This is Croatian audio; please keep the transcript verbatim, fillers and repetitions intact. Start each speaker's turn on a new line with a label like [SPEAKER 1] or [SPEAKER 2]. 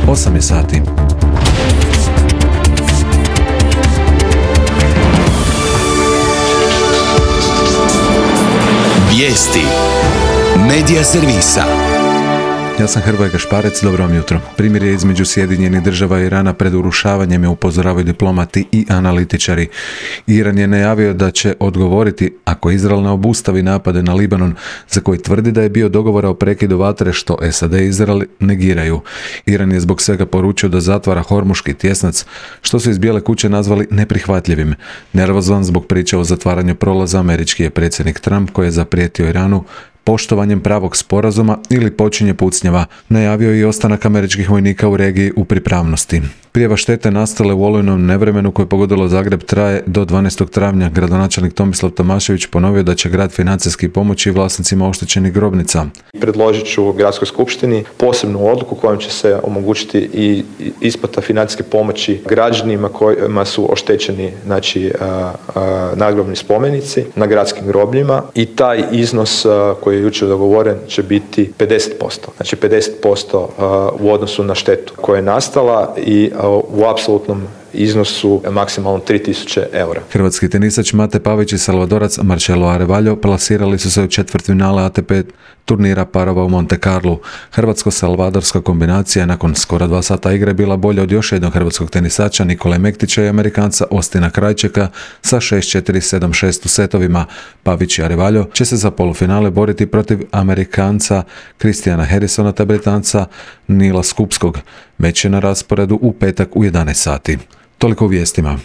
[SPEAKER 1] osam je sati.
[SPEAKER 2] Vijesti Medija servisa.
[SPEAKER 1] Ja sam Hrvoje Gašparec, dobro vam jutro. Primirje između Sjedinjenih država i Irana pred urušavanjem je upozoravaju diplomati i analitičari. Iran je najavio da će odgovoriti ako Izrael ne obustavi napade na Libanon, za koji tvrdi da je bio dogovora o prekidu vatre, što S A D i Izrael negiraju. Iran je zbog svega poručio da zatvara Hormuški tjesnac, što su iz Bijele kuće nazvali neprihvatljivim. Nervozan zbog priče o zatvaranju prolaza, američki je predsjednik Trump, koji je zaprijetio Iranu poštovanjem pravog sporazuma ili počinje pucnjava. Najavio je i ostanak američkih vojnika u regiji u pripravnosti. Prijava štete nastale u olujnom nevremenu koje je pogodilo Zagreb traje do dvanaestog travnja. Gradonačelnik Tomislav Tomašević ponovio da će grad financijski pomoći vlasnicima oštećenih grobnica.
[SPEAKER 3] Predložit ću Gradskoj skupštini posebnu odluku kojom će se omogućiti i isplata financijske pomoći građanima kojima su oštećeni, znači, a, a, nagrobni spomenici na gradskim grobljima, i taj iznos a, koji je jučer dogovoren će biti pedeset posto. Znači pedeset posto a, u odnosu na štetu koja je nastala i a, u apsolutnom iznosu maksimalno tri tisuće eura.
[SPEAKER 1] Hrvatski tenisač Mate Pavić i Salvadorac Marcelo Arevaljo plasirali su se u četvrtfinale A T P turnira parova u Monte Carlu. Hrvatsko-salvadorska kombinacija nakon skoro dva sata igre bila bolja od još jednog hrvatskog tenisača Nikole Mektića i Amerikanca Ostina Krajčeka sa šest četiri sedam šest u setovima. Pavić i Arevaljo će se za polufinale boriti protiv Amerikanca Christiana Harrisona te Britanca Nila Skupskog. Meč je na rasporedu u petak u jedanaest sati. Toliko u vijestima.